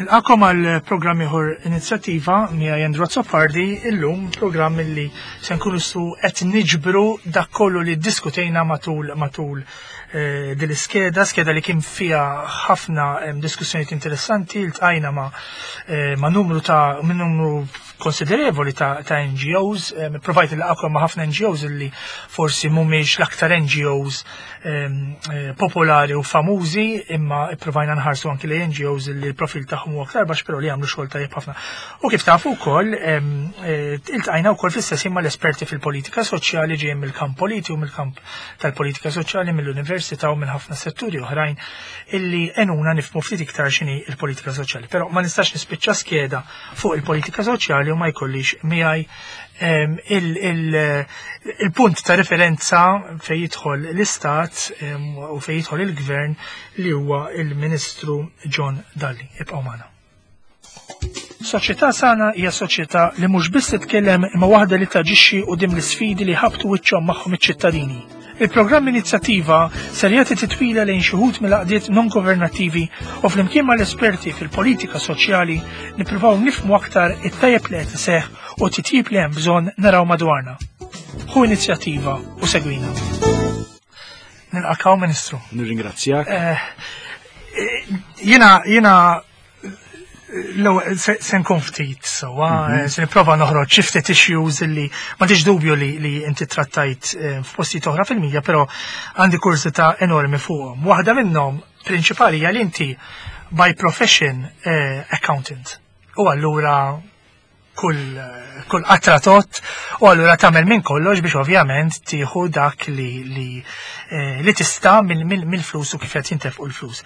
Nilqakom għal programm ieħor inizjattiva miegħi Andrew Azzopardi illum programm illi se nkunu su qed niġbru dak kollu li ddiskutejna matul matul eh, din l-iskeda, skeda li kien fiha ħafna eh, diskussjonijiet interessanti, ltqajna ma, eh, ma' numru ta' minn numru konsiderevoli ta', ta NGOs, eh, provajt il-laqakom ma' ħafna NGOs illi forsi mhumiex l-aktar NGOs eh, popolari u famużi, imma provajna nħarsu anki li NGOs illi l-profil tagħhom huwa aktar baxx però li jagħmlu xogħol tajjeb ħafna. U kif tafu wkoll eh, iltqajna wkoll fl-istess ma' l-esperti fil-politika soċjali ġejjin mill-kamp politiku, mill-kamp tal-politika soċjali, mill-università u minn ħafna setturi oħrajn illi enuna nifmu ftit iktar x'inhi il-politika soċjali. Però ma nistax nispiċċa skeda fuq il-politika soċjali u ma jkollix miegħi il-punt ta' referenza fejn jidħol l-Istat u fejn jidħol il-Gvern li huwa il-Ministru John Dalli. Ibqgħu magħna. Soċjetà sana hija soċjetà li mhux biss titkellem imma waħda li taġixxi quddiem l-isfidi li ħabtu wiċċhom magħhom iċ-ċittadini. Il-programm Inizjattiva ser jagħti titwila lejn xi wħud mill-għaqdiet non-governattivi u flimkien mal-esperti fil-politika soċjali nippruvaw nifhmu aktar it-tajjeb li qed iseħħ u t-titjib li hemm bżonn naraw madwarna. Ħu inizjattiva u segwina. Nilqakaw Ministru. Nirringrazzjak. Eh, eh, jiena jiena L-ewwel se nkun ftit sewwa, mhm. se nipprova noħroġ xi ftit issues illi m'għandix dubju li li inti trattajt eh, f'postijiet oħra fil-media, però għandi kurżità enormi fuqhom. Waħda minnhom prinċipali hija li inti by profession eh, accountant. U allura kull kull qatra tot u allura tagħmel minn kollox biex ovvjament tieħu dak li li, eh, li tista' mill-flus u kif qed jintefqu l-flus.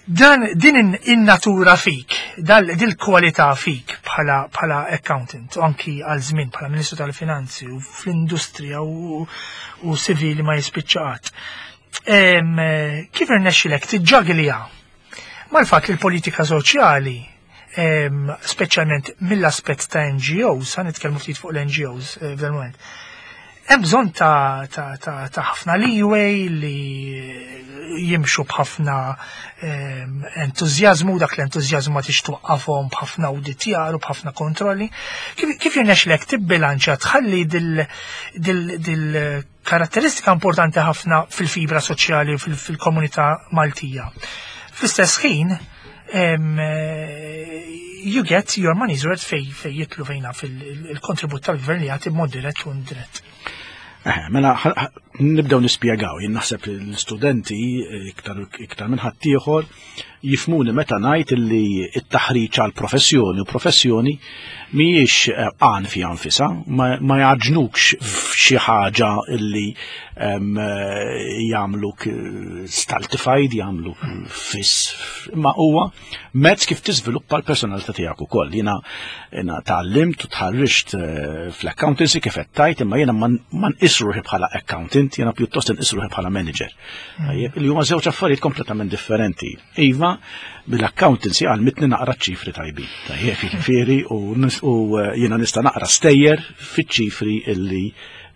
Dan din in-natura fik, dil-kwalità fik bħala bħala accountant u anki għal żmien bħala Ministru tal-Finanzi u fl-industrija u, u sivili ma jispiċċa qatt. Kif irnexxilek tiġġaglija mal-fatt li l-politika soċjali speċjalment mill-aspett ta' NGOs, ħa nitkellmu ftit fuq l-NGOs eh, f'dan moment. Hemm bżonn ta' ta' ta' ta' ħafna leeway li jimxu b'ħafna entużjażmu, dak l-entużjażmu ma tix twaqqafhom b'ħafna awditjar u b'ħafna kontrolli. Kif, kif jirnexlek tibbilanċja tħalli dil, dil, dil karatteristika importanti ħafna fil-fibra soċjali u fil-komunità Maltija. Fl-istess ħin, you get your money's worth fej fej jitlu fejna fil-kontribut tal-gvern li jagħti b'mod dirett u indirett. Eh, mela, nibdew nispjegaw, jien naħseb l-studenti eh, iktar, iktar minn ħaddieħor jifmuni meta ngħid li t-taħriġ għal professjoni u professjoni mhijiex eh, għan fi nfisha, ma jaġnukx f'xi ħaġa li eh, jagħmluk eh, stultified, jagħmluk fiss, imma huwa mezz kif tiżviluppa l-personalità tiegħek ukoll. Jiena jiena tgħallimt u tħarriġt fl-accountancy kif qed tajt, imma jiena ma nqis ruħi bħala accountant, jiena pjuttost inqis ruħi bħala manager. Tajjeb, li huma żewġ affarijiet kompletament differenti. Iva, bil-accountancy għalmitni naqra ċifri tajbin. Tajjeb, jiġifieri u eh, jiena nista' naqra stejjer fiċ-ċifri illi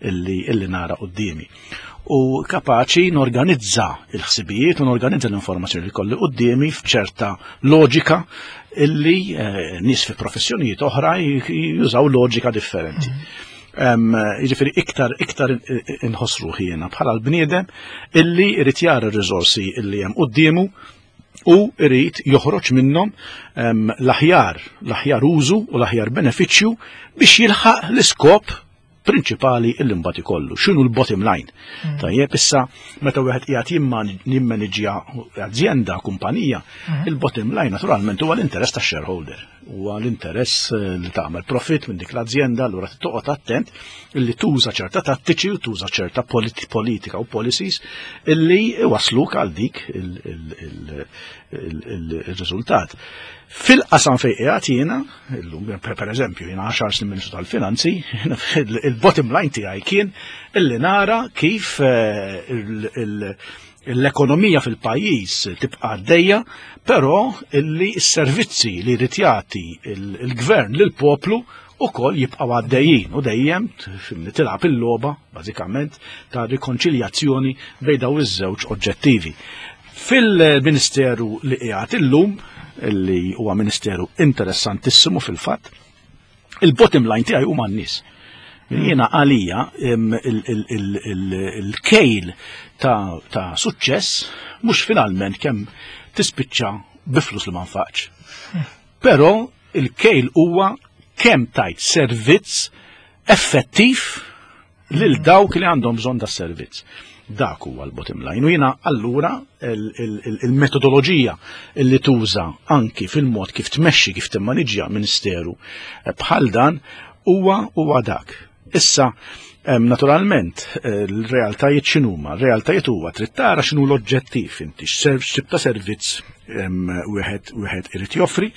illi illi nara qudiemi. U kapaċi norganizza il-ħsibijiet u norganizza l-informazzjoni li kolli qudiemi f'ċerta loġika illi eh, nies fi professjonijiet oħra jużaw loġika differenti. Mm-hmm. Jiġifieri iktar iktar inħoss ruħi jiena bħala l-bniedem illi jrid jara r-riżorsi illi hemm quddiemu u jrid joħroġ minnhom l-aħjar l-aħjar użu u l-aħjar benefiċċju biex jilħaq l-iskop prinċipali illi mbagħad ikollu. X'inhu l-bottom line? Mm. Tajjeb issa meta wieħed qiegħed jimmaniġġja azienda, kumpanija, mm. il-bottom line naturalment huwa l-interess tax-shareholder. Huwa l-interess eh, li tagħmel profit minn dik l-azienda, allura toqgħod attent illi tuża ċerta tattiċi u tuża ċerta politika u policies illi wasluk għal dik il-riżultat. Fil-qasam fejn qiegħed jiena, illum per eżempju jiena 10 snin Ministru tal-Finanzi, il-bottom line tiegħi kien illi nara kif eh, l-ekonomija fil-pajjiż tibqa' għaddejja, però illi s-servizzi li jrid jagħti il-gvern lill-poplu ukoll jibqgħu għaddejjin u dejjem tilgħab il-logħba bażikament ta' rikonċiljazzjoni bejn daw iż-żewġ oġġettivi. Fil-Ministeru li qiegħed illum illi huwa ministeru interessantissimu fil-fatt. Il-bottom line tiegħi huma n-nies. Jiena għalija il-kejl ta' suċċess mhux finalment kemm tispiċċa bi flus li ma nfaqx. Però il-kejl huwa kemm tajt servizz effettiv lil dawk li għandhom bżonn da servizz. Dak huwa l-bottom line. U jiena allura il-metodoloġija li tuża anki fil-mod kif tmexxi, kif timmaniġġja ministeru bħal dan huwa dak. Issa, naturalment, l-realtajiet x'inhuma? R-realtajiet huwa trid tara x'inhu l-oġġettiv inti, x'tip ta' servizz wieħed irid joffri,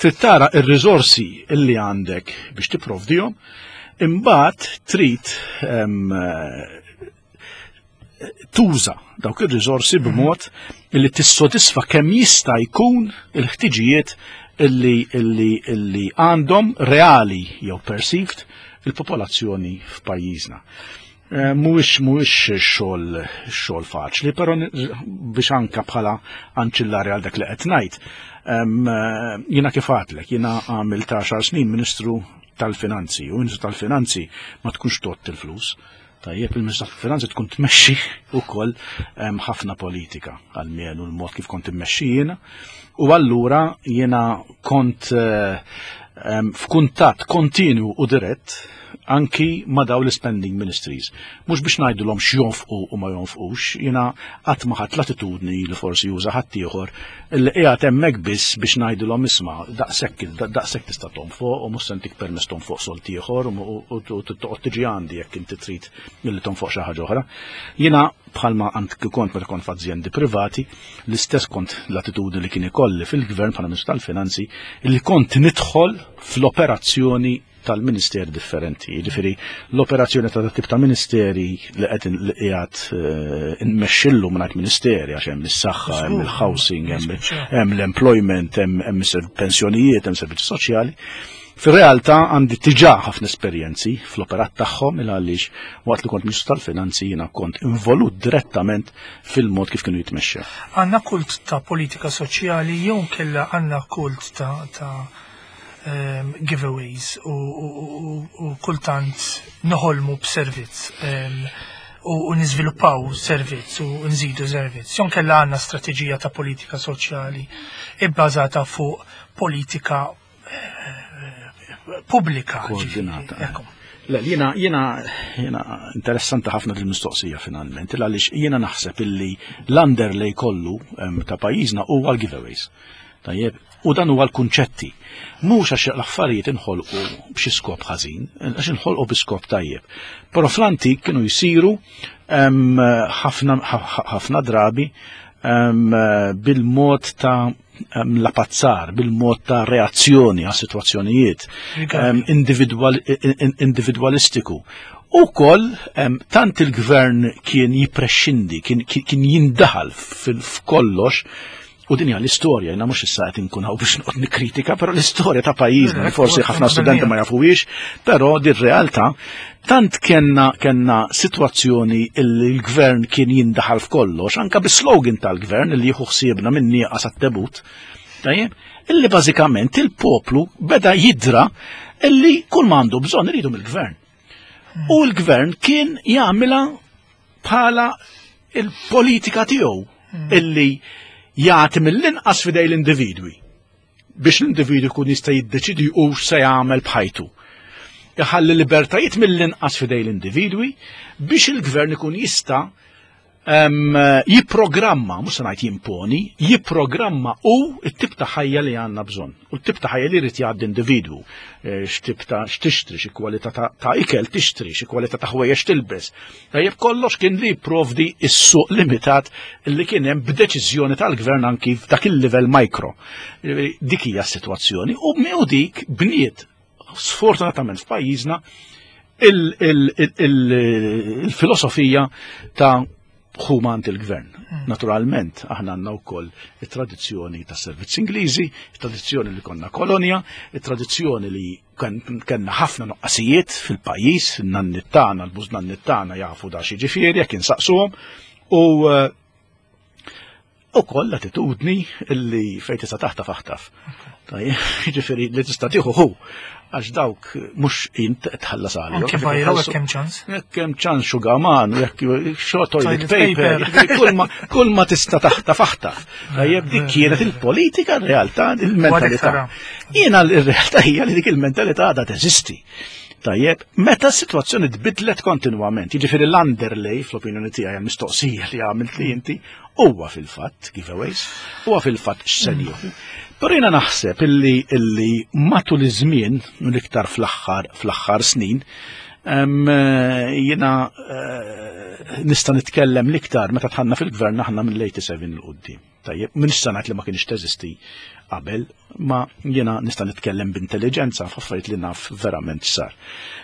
trid tara r-riżorsi li għandek biex tipprovdihom, imbagħad trid tuża dawk ir-riżorsi b'mod li tissodisfa kemm jista' jkun il-ħtiġijiet illi għandhom reali jew perceived il-popolazzjoni f'pajjiżna. Mhuwiex xogħol faċli, però biex anka bħala anċillari għal dak li qed ngħid, jiena kif għadlek, jiena għamilt 10 snin Ministru tal-Finanzi, u Ministru tal-Finanzi ma tkunx tott il-flus. Tajjeb, il-Ministru tal-Finanzi tkun tmexxi wkoll ħafna politika, għalmenu l-mod kif kont immexxi jiena. U allura jiena kont f'kuntatt kontinu u dirett anki ma' daw l-spending ministries. Mhux biex ngħidulhom x'jonfqu u ma jonfqux, jiena qatt ma ħadt l-attitudni li forsi juża ħaddieħor li qiegħed hemmhekk biss biex ngħidulhom isma' daqshekk tista' tonfoq u mhux se ntik permess tonfoq solt ieħor u toqgħod tiġi għandi jekk inti trid milli tonfoq xi ħaġa oħra. Jiena bħalma għand kont meta kont f'azjendi privati, l-istess kont l-attitudni li kien ikolli fil-gvern bħala Ministru tal-Finanzi li kont nidħol fl-operazzjoni tal-ministeri differenti. Jiġifieri l-operazzjoni ta' tip ta' ministeri li qed li qiegħed nmexxillu mingħajr ministeri għax hemm is-saħħa, hemm il-housing, hemm l-employment, hemm pensjonijiet, hemm servizzi soċjali. Fir-realtà għandi diġà ħafna esperjenzi fl-operat tagħhom il għaliex waqt li kont Ministru tal-Finanzi jiena kont involut direttament fil-mod kif kienu jitmexxew. Għandna kult ta' politika soċjali jew kella għandna kult ta' giveaways u kultant noħolmu b'servizz u niżviluppaw servizz u nżidu servizz. Jew kella għandna strateġija ta' politika soċjali ibbażata fuq politika pubblika. Koordinata. Le, jiena interessanti ħafna dil-mistoqsija finalment, għaliex jiena naħseb illi l-underlay kollu ta' pajjiżna huwa l-giveaways. Tajjeb, u dan huwa l-kunċetti. Mhux għax l-affarijiet inħolqu b'xi skop ħażin, għax inħolqu bi skop tajjeb. Però fl-antik kienu jsiru ħafna drabi bil-mod ta' lapazzar, bil-mod ta' reazzjoni għas situazzjonijiet individualistiku. U koll, tant il-gvern kien jiprexxindi, kien jindaħal f'kollox, u din hija l-istorja, jiena mhux issa qed inkun hawn biex noqgħod nikkritika, però l-istorja ta' pajjiżna li forsi ħafna studenti ma jafuhiex, però din realtà tant kellna sitwazzjoni li l-gvern kien jindaħal f'kollox, anka bis-slogan tal-gvern li jieħu ħsiebna minn nieqas għat-tebut, tajjeb, illi bażikament il-poplu beda jidra illi kull ma għandu bżonn iridu mill-gvern. U l-gvern kien jagħmilha bħala il-politika tiegħu illi jagħti mill-inqas fidej l-individwi biex l-individwi jkun jista' jiddeċidi u se jagħmel b'ħajtu. Iħalli libertajiet mill-inqas fidej l-individwi biex il-gvern ikun jista' jipprogramma, mhux se ngħid jimponi, jipprogramma u t-tip ta' ħajja li għandna bżonn. U t-tip ta' ħajja li jrid jgħaddi individwu. X'tip ta' x'tixtri, xi kwalità ta' ikel tixtri, xi kwalità ta' ħwejjeġ tilbes. Tajjeb kollox kien li jipprovdi s-suq limitat li kien hemm b'deċiżjoni tal-gvern anki f'dak il-livell mikro. Dik hija s-sitwazzjoni u dik bniet sfortunatament f'pajjiżna il-filosofija ta' ħumant il-gvern. Naturalment, aħna għandna wkoll it-tradizzjoni ta' servizz Ingliżi, it-tradizzjoni li konna kolonja, it-tradizzjoni li kellna ħafna nuqqasijiet fil-pajjiż, in-nannit tagħna, l-bużnannit tagħna jafu da xi ġifieri jekk insaqsuhom, u U koll attitudni illi fejn tista' taħtaf aħtaf. Jiġifieri li tista' tieħu hu għax dawk mhux int tħallas għalihom. Anke vajra jekk hemm ċans. Jekk hemm ċans xugaman, jekk xo toilet paper, kull ma tista' taħtaf aħtaf. Tajjeb dik kienet il-politika, r-realtà, il-mentalità. Jiena l-realtà hija li dik il-mentalità għadha teżisti. Tajjeb, meta s-sitwazzjoni tbidlet kontinwament, jiġifieri l-underlay fl-opinjoni tiegħi għall-mistoqsija li għamilt li inti, huwa fil-fatt giveaways, huwa fil-fatt x'se nieħu. Però jiena naħseb illi illi matul iż-żmien, l-iktar fl-aħħar fl-aħħar snin, jiena eh, nista' nitkellem l-iktar meta tħanna fil-gvern aħna mill-87 il qudiem. Tajjeb, m'iniex se ngħid li ma kienx teżisti qabel, ma jiena nista' nitkellem b'intelliġenza f'affarijiet li naf verament x'sar.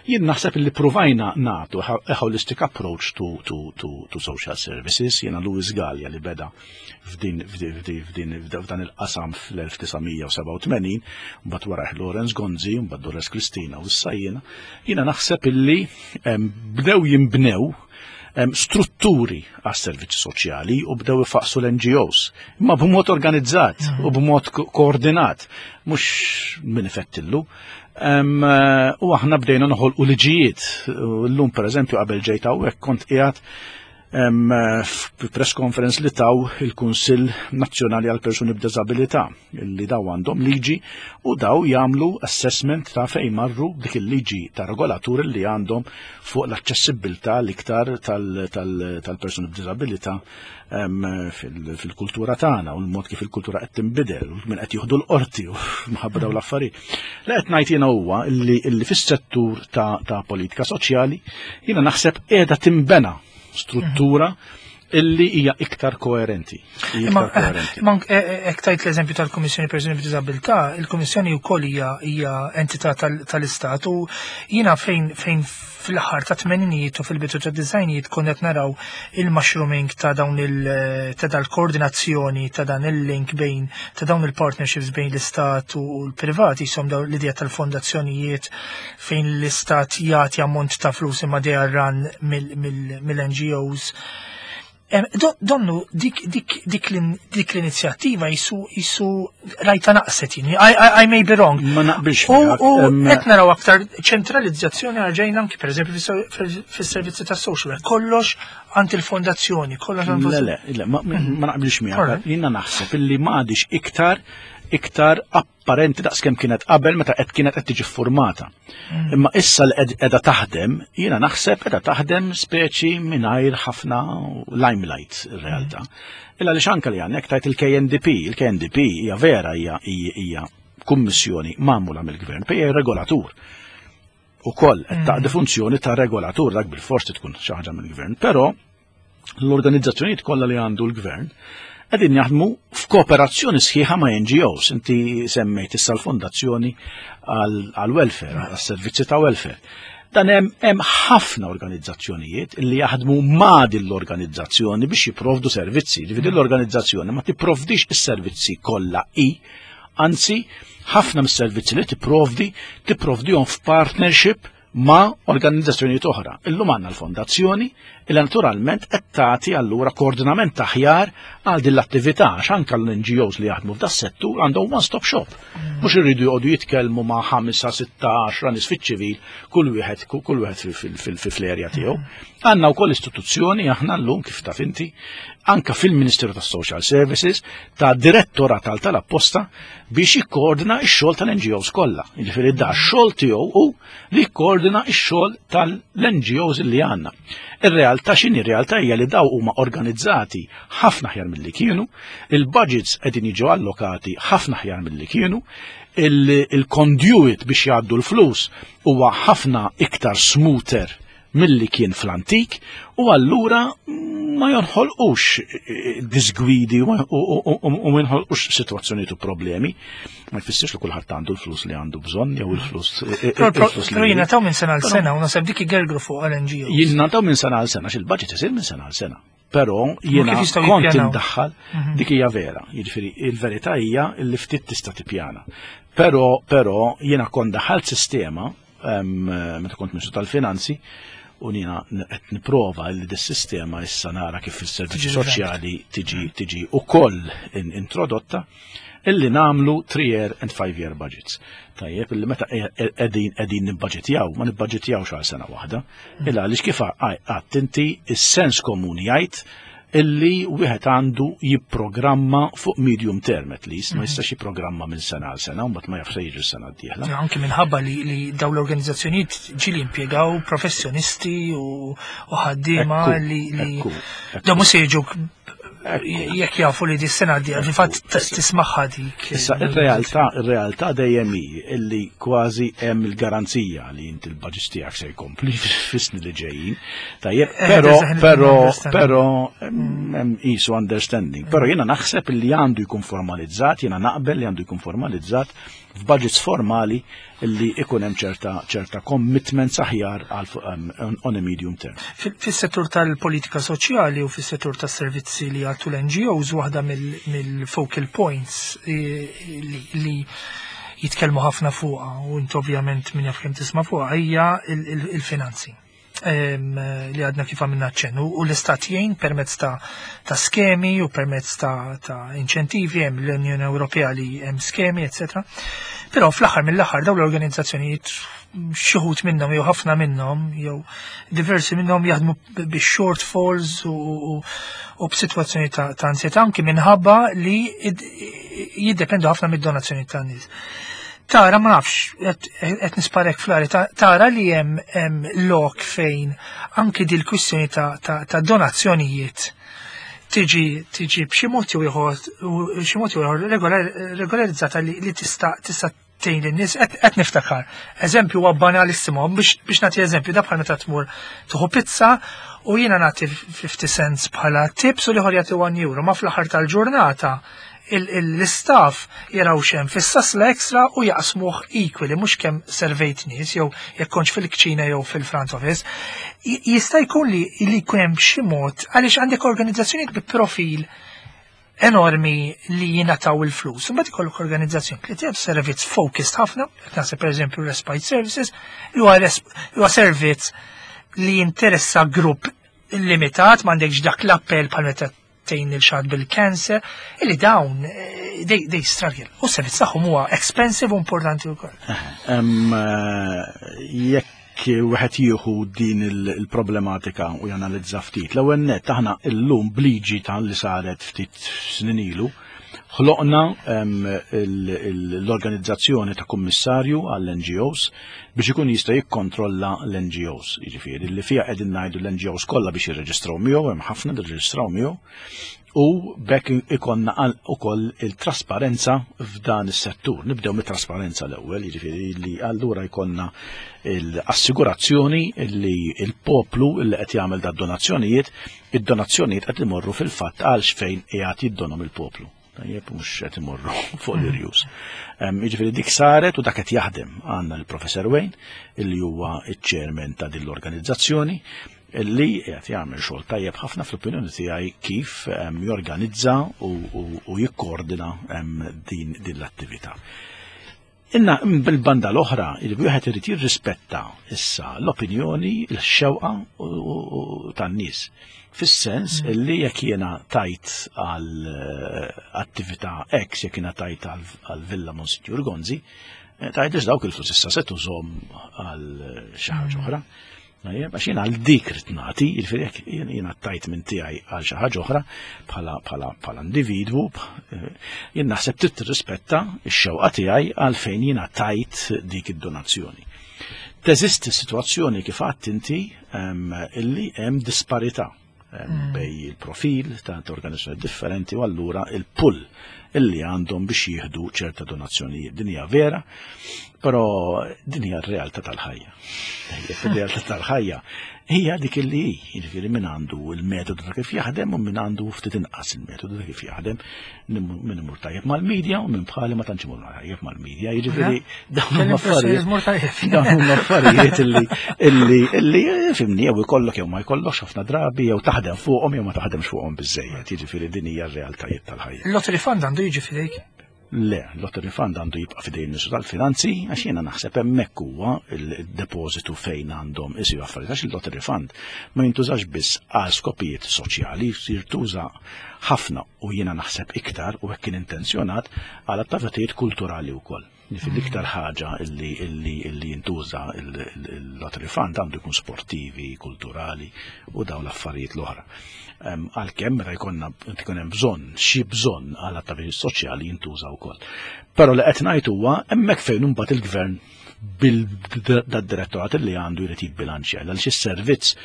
Jien naħseb li pruvajna nagħtu a holistic approach to, to, to, to social services, jiena Louis Gallia li beda f'din f'din f'dan il-qasam fl-1987, mbagħad wara Lawrence Gonzi, mbagħad Dolores Kristina u issa jiena, jiena naħseb illi bdew jinbnew strutturi għas servizzi soċjali u bdew ifaqsu l-NGOs, imma b'mod organizzat u b'mod koordinat, mhux min ifettillu. U aħna bdejna noħolqu liġijiet. Llum pereżempju qabel ġejt hawnhekk kont qiegħed press conference li taw il-Kunsill Nazzjonali għal Persuni b'Diżabilità li daw għandhom liġi u daw jagħmlu assessment ta' fejn marru dik il-liġi ta' regolatur li għandhom fuq l-aċċessibilità l-iktar tal-persuni b'diżabilità fil-kultura tagħna u l-mod kif il-kultura qed tinbidel u min qed jieħdu l-qorti u mħabba dawn l-affarijiet. Li qed ngħid jiena huwa li fis-settur ta' politika soċjali jiena naħseb qiegħda tinbena struttura illi hija iktar koerenti. Ma eh, eh, hekk tajt l-eżempju tal-Kummissjoni Persuni b'Diżabilità, il-Kummissjoni wkoll hija entità tal-Istat u jiena fejn fejn fl-aħħar ta' tmeninijiet u fil-bidu ta' dizajnijiet konna qed naraw il-mushrooming ta' dawn il ta' dal-koordinazzjoni ta' dan il-link bejn ta' dawn il-partnerships bejn l-istat u l-privat jisom dawn l-idea tal-fondazzjonijiet fejn l-istat jagħti ammont ta' flus imma they are run mill-NGOs. Donnu dik dik dik dik l-inizjattiva jisu jisu rajta naqset jien. I may be wrong. Ma naqbilx. U qed naraw aktar ċentralizzazzjoni għarġejna anki pereżempju fis-servizzi tas-social work. Kollox għand il-fondazzjoni, kollox għand Le, le, le, ma naqbilx miegħek. Jiena naħseb illi ma għadix iktar iktar apparenti daqskemm kienet qabel meta qed kienet qed tiġi ffurmata. Imma issa li qiegħda taħdem, jiena naħseb qiegħda taħdem speċi mingħajr ħafna limelight ir-realtà. Illa li anke li għandek tajt il-KNDP, il-KNDP hija vera hija hija kummissjoni magħmula mill-gvern, hija regolatur. Ukoll qed taqdi funzjoni ta' regolatur dak bil-forsi tkun xi ħaġa mill-gvern, però l-organizzazzjonijiet kollha li għandu l-gvern qegħdin jaħdmu f'kooperazzjoni sħiħa ma' NGOs. Inti semmejt issa l-fondazzjoni għal-welfare, għas-servizzi ta' welfare. Dan hemm ħafna organizzazzjonijiet li jaħdmu ma' din l-organizzazzjoni biex jipprovdu servizzi. Ġifieri l-organizzazzjoni ma tipprovdix is-servizzi kollha i, anzi ħafna mis-servizzi li tipprovdi tipprovdihom f'partnership ma' organizzazzjonijiet oħra. Illum għandna l-fondazzjoni illi naturalment qed tagħti allura koordinament aħjar għal din l-attività għax anke l-NGOs li jaħdmu f'da settur għandhom one-stop shop. Mhux irridu joqogħdu jitkellmu ma' 5, 6, 10 nies fiċ-ċivil kull wieħed kull wieħed fl-erja tiegħu. Għandna wkoll istituzzjoni aħna llum kif taf inti anke fil-Ministeru tas-Social Services ta' direttorat tal-apposta biex jikkoordina x-xogħol tal-NGOs kollha. Jiġifieri da x-xogħol tiegħu hu li jikkoordina x-xogħol tal-NGOs li għandna. Ir-realtà x'inhi r-realtà hija li daw huma organizzati ħafna aħjar milli kienu, il-budgets qegħdin jiġu allokati ħafna aħjar milli kienu, il-conduit biex jgħaddu l-flus huwa ħafna iktar smoother milli kien fl-antik u allura ma jonħolqux eh, disgwidi u ma jonħolqux sitwazzjonijiet u problemi. Ma jfissirx li kulħadd għandu l-flus li għandu bżonn jew il-flus. Eh, eh, però jingħataw minn sena għal sena u naħseb dik igergru fuq għal-NGO. Jingħataw minn sena għal sena, x'il-budget isir minn sena għal sena. Però jiena kont indaħħal mhm. dik hija vera, jiġifieri il-verità hija li ftit tista' tippjana. Però però jiena kont daħħalt sistema meta kont Ministru tal-Finanzi, U jiena qed nipprova li dis-sistema issa nara kif fis-servizzi soċjali tiġi tiġi ukoll introdotta illi nagħmlu 3 year and 5 year budgets. Tajjeb, illi meta qegħdin qegħdin nibbaġitjaw, ma nibbaġitjawx għal sena waħda. Illa għaliex kif għadt inti is-sens komuni jgħid illi wieħed għandu jipprogramma fuq medium term at least, ma jistax jipprogramma minn sena għal sena, u mbagħad ma jafx se jiġri s-sena d-dieħla. Anki minħabba li dawn l-organizzazzjonijiet ġieli impjegaw professjonisti u ħaddiema li dawn mhux se jiġu jekk jafu li di sena di, fil-fatt tismaħħa dik. Issa ir-realtà ir-realtà dejjem hi illi kważi hemm il-garanzija li inti l-budget tiegħek se jkompli fis-snin li ġejjin. Tajjeb, però però però hemm qisu understanding. Però jiena naħseb li għandu jkun formalizzat, jiena naqbel li għandu jkun formalizzat f'budgets formali li ikun hemm ċerta ċerta commitments aħjar għal on a medium term. Fis-settur tal-politika soċjali u fis-settur tas-servizzi li jagħtu l-NGOs waħda mill-focal points li jitkellmu ħafna fuqha u int ovvjament min jaf kemm tisma' fuqha hija il-finanzi li għadna kif għamilna ċennu u l-istat jgħin permezz ta' skemi u permezz ta' inċentivi hemm l-Unjoni Ewropea li hemm skemi, etc. Però fl-aħħar mill-aħħar dawn l-organizzazzjonijiet xi wħud minnhom jew ħafna minnhom jew diversi minnhom jaħdmu bi shortfalls u b'sitwazzjoni ta' ansjetà anki minħabba li jiddependu ħafna mid-donazzjoni tan-nies. Tara ma nafx, qed nisparek flari, tara li hemm lok fejn anki dil kwistjoni ta' donazzjonijiet tiġi b'xi mod jew ieħor xi mod jew ieħor regolarizzata li tista' tista' tgħin lin-nies qed niftakar. Eżempju huwa banalissimo biex nagħti eżempju da bħal meta tmur tieħu pizza u jiena nagħti 50 cents bħala tips u l-ieħor jagħti 1 euro, ma fl-aħħar tal-ġurnata l-istaff jaraw xem fis-sasla extra u jaqsmuh equally, mhux kemm servejt nies jew jekk kontx fil-kċina jew fil-front office. Jista' jkun li jkun hemm xi mod għaliex għandek organizzazzjonijiet bi profil enormi li jingħataw il-flus. Imbagħad ikollok organizzazzjoni li tgħid servizz focused ħafna, qed naħseb pereżempju Respite Services, li huwa servizz li jinteressa grupp limitat, m'għandekx dak l-appell bħal meta tgħin lil xi ħadd bil-cancer, illi dawn they struggle. U s-servizz tagħhom huwa expensive u importanti wkoll. Jekk wieħed jieħu din il-problematika u janalizza ftit. L-ewwel nett aħna llum bliġi ta' li saret ftit snin ilu, ħloqna l-organizzazzjoni ta' kummissarju għall-NGOs biex ikun jista' jikkontrolla l-NGOs. Jiġifieri li fiha qegħdin ngħidu l-NGOs kollha biex jirreġistraw miegħu, hemm ħafna li rreġistraw miegħu, u bekk ikonna ukoll il-trasparenza f'dan is-settur. Nibdew mit-trasparenza l-ewwel, jiġifieri li allura jkollna l-assigurazzjoni li l-poplu li qed jagħmel da donazzjonijiet, id-donazzjonijiet qed imorru fil-fatt għal x'fejn qiegħed jiddonhom il-poplu. Tajjeb, mhux qed imorru fuq l-irjus. Jiġifieri dik saret u dak qed jaħdem. Għandna l-Professor Wayne, illi huwa iċ-chairman ta' din l-organizzazzjoni, illi qed jagħmel xogħol tajjeb ħafna fl-opinjoni tiegħi kif jorganizza u jikkoordina din l-attività. Inna bil-banda l-oħra, il wieħed irid jirrispetta issa l-opinjoni, l-xewqa tan-nies. Fis-sens illi jekk jiena tajt għal attività X, jekk jiena tajt għal Villa Monsignor Gonzi, tajt dawk il-flus issa se tużhom għal xi ħaġa oħra. Tajjeb, għax jiena għal dik rid nagħti, jiġifieri jekk jiena tajt minn tiegħi għal xi ħaġa oħra bħala individwu, jien naħseb trid tirrispetta x-xewqa tiegħi għal fejn jiena tajt dik id-donazzjoni. Teżisti sitwazzjoni kif għadt inti illi hemm disparità bej il-profil ta' organizzazzjoni differenti u allura il-pull illi għandhom biex jieħdu ċerta donazzjonijiet. Din hija vera, però din hija r-realtà tal-ħajja. Ir-realtà tal-ħajja hija dik illi hi, jiġifieri min għandu il-metodu ta' kif jaħdem u min għandu ftit inqas il-metodu ta' kif jaħdem, min imur tajjeb mal-medja u min bħali ma tantx imur tajjeb mal-medja, jiġifieri dawn huma affarijiet dawn huma affarijiet illi illi fimni jew ikollok jew ma jkollokx ħafna drabi jew taħdem fuqhom jew ma taħdemx fuqhom biżejjed, jiġifieri din hija r-realtajiet tal-ħajja. Lottery fund għandu jiġi fidejk? Le, Lottery Fund għandu jibqa' f'idejn il-Ministru tal-Finanzi għax jiena naħseb hemmhekk huwa il-depożitu fejn għandhom isiru affarijiet għax il-Lottery Fund ma jintużax biss għal skopijiet soċjali, jintuża ħafna u jiena naħseb iktar u hekk kien intenzjonat għal attivitajiet kulturali wkoll. Jiġifieri l-iktar ħaġa illi illi illi jintuża il-Lottery Fund għandu jkun sportivi, kulturali u dawn l-affarijiet l-oħra. Għalkemm meta jkollna jkun hemm bżonn, xi bżonn għal attivitajiet soċjali jintuża wkoll. Però li qed ngħid huwa hemmhekk fejn imbagħad il-gvern bil-direttorat li għandu jrid jibbilanċja għaliex is-servizz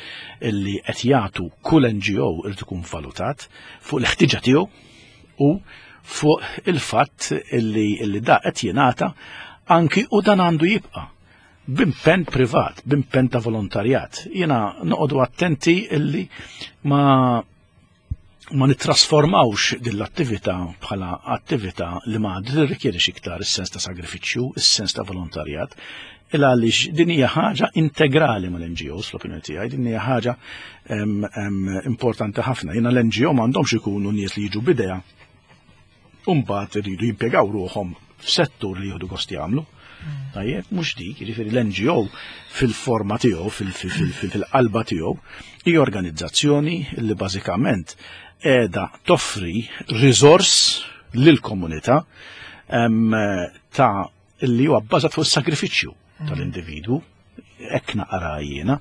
illi qed jagħtu kull NGO irid ikun valutat fuq l-ħtiġa tiegħu u fuq il-fatt illi, illi da qed jingħata anki u dan għandu jibqa' b'impenn privat, b'impenn ta' volontarjat. Jiena noqogħdu attenti illi ma ma nittrasformawx din l-attività bħala attività li ma tirrikjedix iktar is-sens ta' sagrifiċċju, is-sens ta' volontarjat, il għaliex din hija ħaġa integrali mal-NGOs fl-opinjoni tiegħi, din hija ħaġa importanti ħafna. Jiena l-NGO m'għandhomx ikunu nies li jiġu bidea u mbagħad iridu jimpjegaw ruħhom f'settur li jieħdu gost jagħmlu. Tajjeb, mhux dik, jiġifieri l-NGO fil-forma tiegħu, fil-qalba tiegħu, hija organizzazzjoni li bażikament qiegħda toffri riżors lill-komunità ta' li huwa bbażat fuq is-sagrifiċċju tal-individwu, hekk naqra jiena.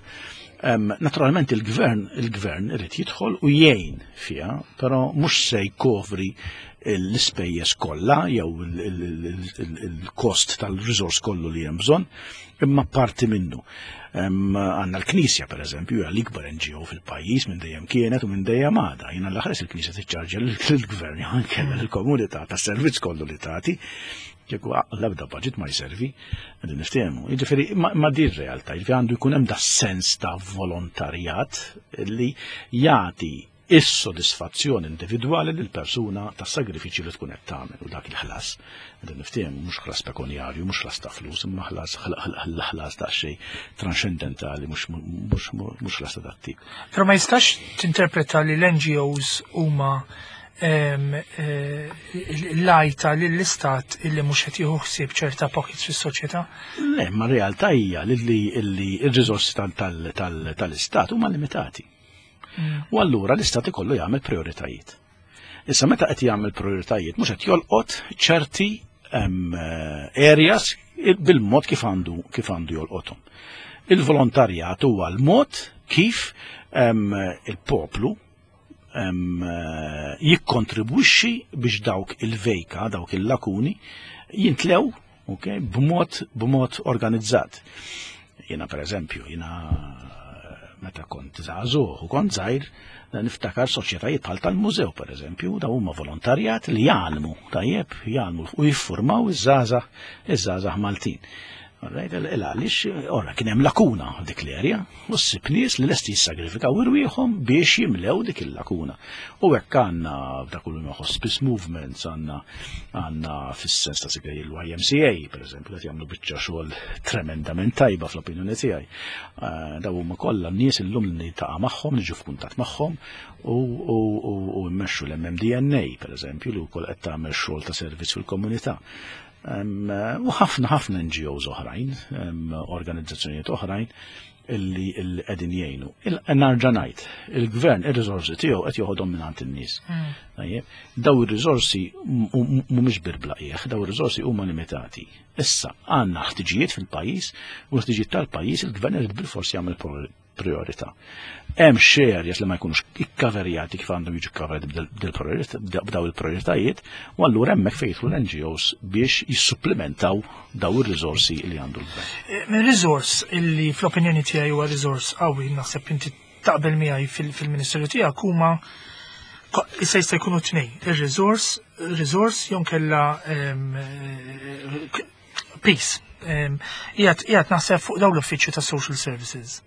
Naturalment il-gvern il-gvern irid jidħol u jgħin fiha, però mhux se jkopri l-ispejjeż kollha jew il-kost tal-riżors kollu li hemm bżonn, imma parti minnu. Għandna l-Knisja pereżempju hija l-ikbar NGO fil-pajjiż minn dejjem kienet u minn dejjem għadha. Jiena l-aħres il-Knisja tiċċarġja lill-gvern jew anke lill-komunità tas-servizz kollu li tagħti. Kieku l-ebda budget ma jservi, qegħdin niftehmu. Jiġifieri ma din realtà, jiġifieri għandu jkun hemm da sens ta' volontarjat li jagħti is-sodisfazzjon individwali lil persuna tas-sagrifiċċju li tkun qed tagħmel u dak il-ħlas. Qegħdin niftehmu mhux ħlas pekunjarju, mhux ħlas ta' flus, imma ħlas ħlas ta' xejn transcendentali mhux ħlas ta' dat tip. Però ma jistax tinterpreta li l-NGOs huma eh, l-għajta lill-istat illi mhux qed jieħu ħsieb ċerta pockets fis-soċjetà? Le, ma realtà hija li r-riżorsi tal-istat huma limitati. U allura l-istat ikollu jagħmel prioritajiet. Issa meta qed jagħmel prioritajiet mhux qed jolqot ċerti areas bil-mod kif għandu kif għandu jolqothom. Il-volontarjat huwa l-mod kif il-poplu jikkontribwixxi biex dawk il-vejka, dawk il-lakuni jintlew okay, b'mod b'mod organizzat. Jiena per eżempju, jiena meta kont żagħżugħ u kont żgħir, niftakar soċjetajiet bħal tal-mużew per eżempju, daw huma volontarjat li jgħallmu, tajjeb, jgħallmu u jiffurmaw iż-żgħażagħ iż-żgħażagħ Maltin. Alright, il għaliex, ora kien hemm lakuna dik l-erja, u ssib nies li lesti jissagrifikaw irwieħhom biex jimlew dik il-lakuna. U hekk għandna f'dak kull hospice movements, għandna għandna fis-sens ta' sigri l-YMCA, per eżempju, qed jagħmlu biċċa xogħol tremendament tajba fl-opinjoni tiegħi. Eh, daw huma kollha nies illum li niltaqa' magħhom, niġu f'kuntatt magħhom u mmexxu l-MMDNA, per eżempju, li wkoll qed tagħmel xogħol ta' servizz fil-komunità. U ħafna ħafna NGOs oħrajn, organizzazzjonijiet oħrajn illi qegħdin jgħinu. Narġa' ngħid, il-gvern ir-riżorsi tiegħu qed joħodhom minn in-nies. Mm. Daw ir-riżorsi mhumiex birbla qiegħ, daw ir-riżorsi huma limitati. Issa għandna ħtiġijiet fil-pajjiż u l-ħtiġijiet tal-pajjiż il-gvern irid bilfors jagħmel priorità. Hemm xi areas li ma jkunux ikkaverjati kif għandhom jiġu kkaverjati b'daw il-prioritajiet, u allura hemmhekk fejn jidħlu l-NGOs biex jissupplementaw daw ir-riżorsi li għandu l-gvern. Eh, minn riżors illi fl-opinjoni tiegħi huwa riżors qawwi naħseb inti taqbel miegħi fil-ministeru tiegħek huma issa jista' jkunu tnejn, ir-riżors, riżors jew kella ehm, eh, Peace. Qiegħed naħseb fuq dawn l-uffiċċju ta' social services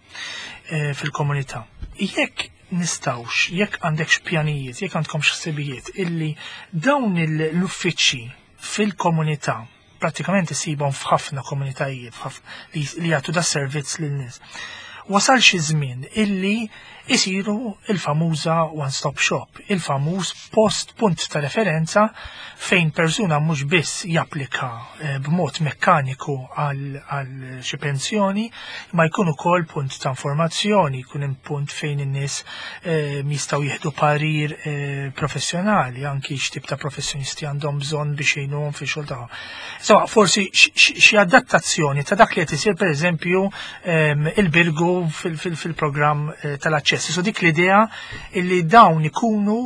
eh, fil-komunità. Jekk nistawx, jekk għandek pjanijiet, jekk għandkom ħsibijiet illi dawn l-uffiċċji fil-komunità pratikament isibhom f'ħafna komunitajiet li jagħtu da servizz lin-nies. Wasal xi żmien illi Isiru il-famuża one-stop shop, il-famuż post punt ta' referenza fejn persuna mhux biss japplika b'mod mekkaniku għal xi pensjoni, ma jkun ukoll punt ta' informazzjoni, jkun hemm punt fejn in-nies jistgħu jieħdu parir professjonali, anki x'tip ta' professjonisti għandhom bżonn biex jgħinuhom fix-xogħol tagħhom. Insomma, forsi xi adattazzjoni ta' dak li qed isir, pereżempju, il-Birgu fil-programm tal-aċċess. So dik l-idea illi dawn ikunu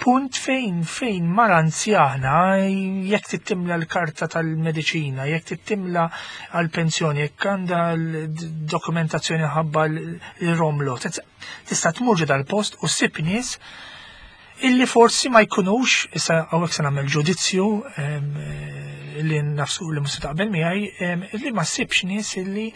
punt fejn mara anzjana, jekk tittimla l-karta tal-mediċina, jekk tittimla għal-pensjoni, jekk għandha l-dokumentazzjoni ħabba l-romlo, tista' tmur ġo dal-post u ssib nies illi forsi ma jkunux, issa hawnhekk se nagħmel ġudizzju li nafsu li mhux se taqbel miegħi, illi ma ssibx nies illi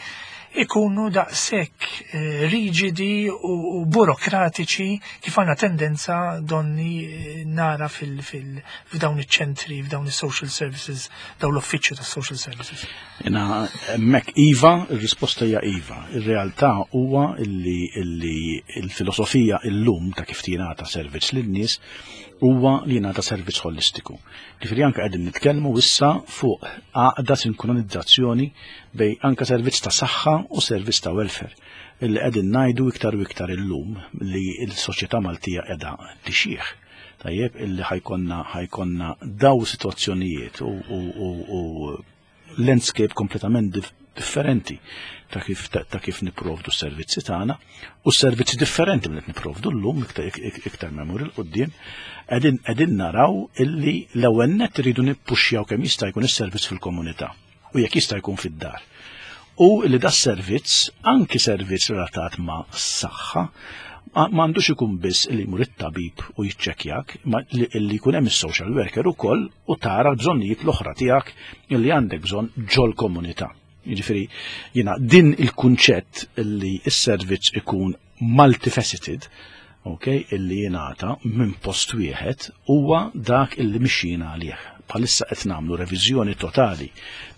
ikunu daqshekk riġidi u burokratiċi kif għandna tendenza donni nara f'dawn iċ-ċentri, f'dawn is-social services, dawn l-uffiċċju tas-social services. Jena, hemmhekk iva, ir-risposta hija iva. Ir-realtà huwa illi il-filosofija illum ta' kif tingħata servizz lin-nies huwa li jingħata servizz holistiku. Ġifieri anke qegħdin nitkellmu issa fuq għaqda, sinkronizzazzjoni bej anke servizz ta' saħħa u servizz ta' welfare. Illi qegħdin ngħidu iktar u iktar illum li l-soċjetà Maltija qiegħda tixjieħ. Tajjeb, illi ħajkonna daw sitwazzjonijiet u landscape kompletament differenti ta' kif niprovdu s-servizzi tagħna u s-servizzi differenti minn qed niprovdu llum iktar memur il-qudiem, qegħdin naraw illi l-ewwel nett iridu nippuxxjaw kemm jista' jkun is-servizz fil-komunità u jekk jista' jkun fid-dar. U li da servizz, anki servizz relatat ma' s-saħħa, m'għandux ikun biss li jmur it-tabib u jiċċekkjak, ma li jkun hemm is-social worker ukoll u tara l-bżonnijiet l-oħra tiegħek li għandek bżonn ġol-komunità. Jiġifieri jiena din il-kunċett li s-servizz ikun multifaceted, ok, illi jingħata minn post wieħed huwa dak illi mixjina għalih. Bħalissa qed nagħmlu reviżjoni totali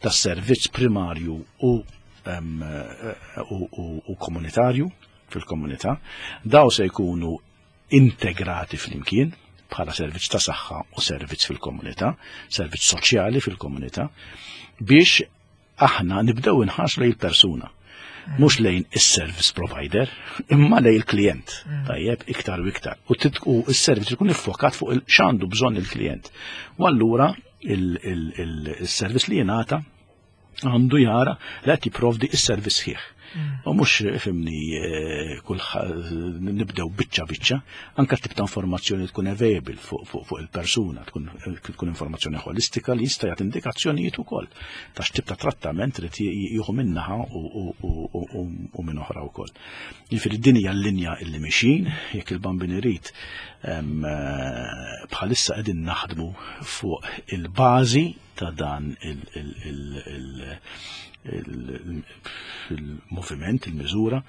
tas-servizz primarju u komunitarju fil-komunità. Daw se jkunu integrati flimkien bħala servizz ta' saħħa u servizz fil-komunità, servizz soċjali fil-komunità, biex aħna nibdew inħarsu lejn il-persuna. Mhux lejn is-service provider, imma lejn il-klient. Tajjeb, iktar u iktar. U s-servizz ikun iffokat fuq x'għandu bżonn il-klient. U allura il-servizz li jingħata għandu jara li qed jipprovdi is-servizz sħiħ. U mhux, fhimni, kull nibdew biċċa biċċa, anka tip ta' informazzjoni tkun available fuq il-persuna, tkun informazzjoni holistika li jista' jagħti indikazzjonijiet ukoll ta' x'tip ta' trattament trid jieħu minnaħa u minn oħra wkoll. Jiġifieri din hija l-linja illi mixin, jekk il-Bambin irid, bħalissa qegħdin naħdmu fuq il-bażi ta' dan il-moviment, il-miżura